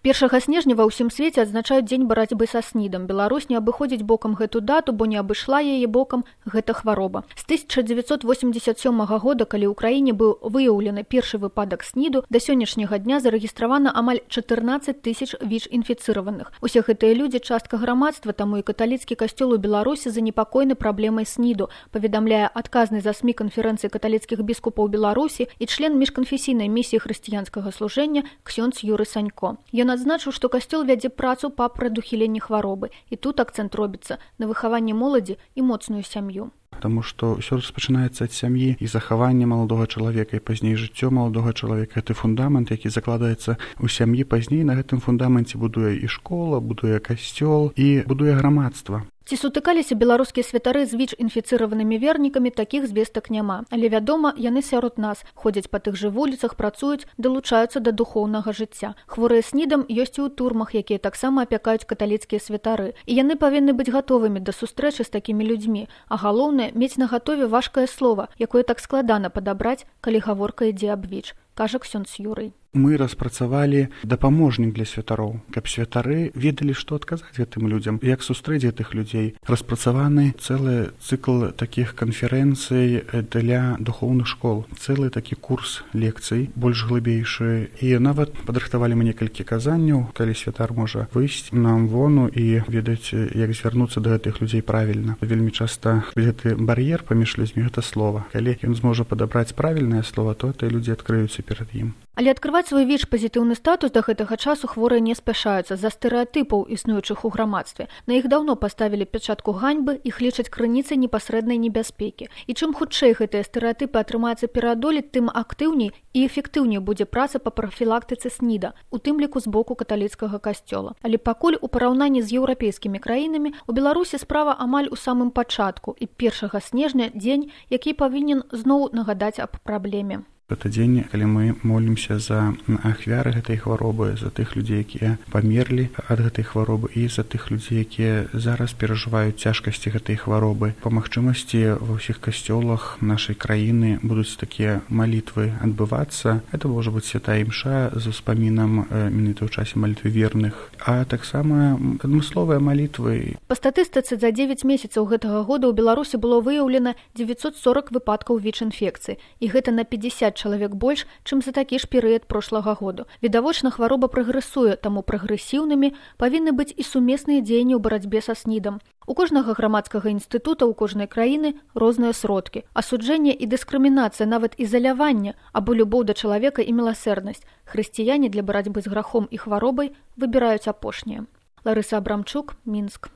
1 снежня ва ўсім свеце адзначаюць дзень барацьбы са СНІДам. Беларусь не абыходзіць бокам гэту дату, бо не абышла яе бокам гэта хвароба. З 1987 года, калі ў краіне быў выяўлены першы выпадак СНІДу, да сённяшняга дня зарэгістравана амаль 14 тысяч ВІЧ-інфіцыраваных. Усе гэтыя людзі частка грамадства, таму і каталіцкі касцёл у Беларусі занепакоены праблемай СНІДу, паведамляе адказны за СМІ канферэнцыі каталіцкіх біскупаў Беларусі і член міжканфесійнай місіі хрысціянскага служэння ксёндз Юры Санько. Ён адзначыў, што касцёл вядзе працу па прадухіленні хваробы, і тут акцэнт робіцца на выхаванні моладзі і моцную сям'ю. Потому что все распачынаецца ад сям'і і захавання маладога чалавека, і пазней жыццё маладога чалавека. Гэта фундамент, які закладаецца ў сям'і, пазней на гэтым фундаменце будуе і школа, будуе касцёл і будуе грамадства. Ці сутыкаліся беларускія святары з ВІЧ-інфіцыраванымі вернікамі, такіх звестак няма. Але, вядома, яны сярод нас, ходзяць па тых жа вуліцах, працуюць, далучаюцца да духоўнага жыцця. Хворыя СНІДам ёсць і ў турмах, якія таксама апякаюць каталіцкія святары. І яны павінны быць гатовымі да сустрэчы з такімі людзьмі. А галоўнае, мець на гатове важкае слова, якое так складана падабраць, калі гаворка ідзе аб ВІЧ, кажа ксёндз Юрый. Мы распрацавалі дапаможнік для святароў, каб святары ведалі, што адказаць гэтым людзям, як сустрэць гэтых людзей. Распрацаваны цэлы цыкл такіх канферэнцый для духоўных школ, цэлы такі курс лекцый, больш глыбейшы. І нават падрыхтавалі мы некалькі казанняў, калі святар можа выйсці нам вону і ведаць, як звярнуцца да гэтых людзей правільна. Вельмі часта гэты бар'ер паміж людзьмі гэта слова. Калі ён зможа падабраць правільнае слова, то тыя людзі адкрыюцца перад ім. Але адкрываць свой ВІЧ-пазітыўны статус да гэтага часу хворыя не спяшаюцца з-за стэрэатыпаў, існуючых у грамадстве. На іх даўно паставілі пячатку ганьбы, іх лічаць крыніцай непасрэднай небяспекі. І чым хутчэй гэтыя стэрэатыпы атрымаецца пераадолець, тым актыўней і эфектыўней будзе праца па прафілактыцы СНІДа, у тым ліку з боку каталіцкага касцёла. Але пакуль у параўнанні з еўрапейскімі краінамі у Беларусі справа амаль у самым пачатку, і 1 снежня дзень, які павінен зноў нагадаць аб праблеме. Гэта дзень, калі мы молімся за ахвяры гэтай хваробы, за тых людзей, якія памерлі ад гэтай хваробы, і за тых людзей, якія зараз перажываюць цяжкасці гэтай хваробы. Па магчымасці ва ўсіх касцёлах нашай краіны будуць такія малітвы адбывацца. Гэта можа быць святая імша з успамінам менавіта ў часе малітвы верных, а таксама адмысловыя малітвы. Па статыстыцы за 9 месяцаў гэтага года ў Беларусі было выяўлена 940 выпадкаў ВІЧ-інфекцыі, і гэта на 50 чалавек больш, чым за такі ж перыяд прошлага году. Відавочна, хвароба прагрэсуе, таму прагрэсіўнымі павінны быць і сумесныя дзеянні ў барацьбе са СНІДам. У кожнага грамадскага інстытута ў кожнай краіны розныя сродкі. Асуджэнне і дыскрымінацыя, нават ізаляванне, або любоў да чалавека і міласэрнасць. Хрысціяне для барацьбы з грахом і хваробай выбіраюць апошняе. Ларыса Абрамчук, Мінск.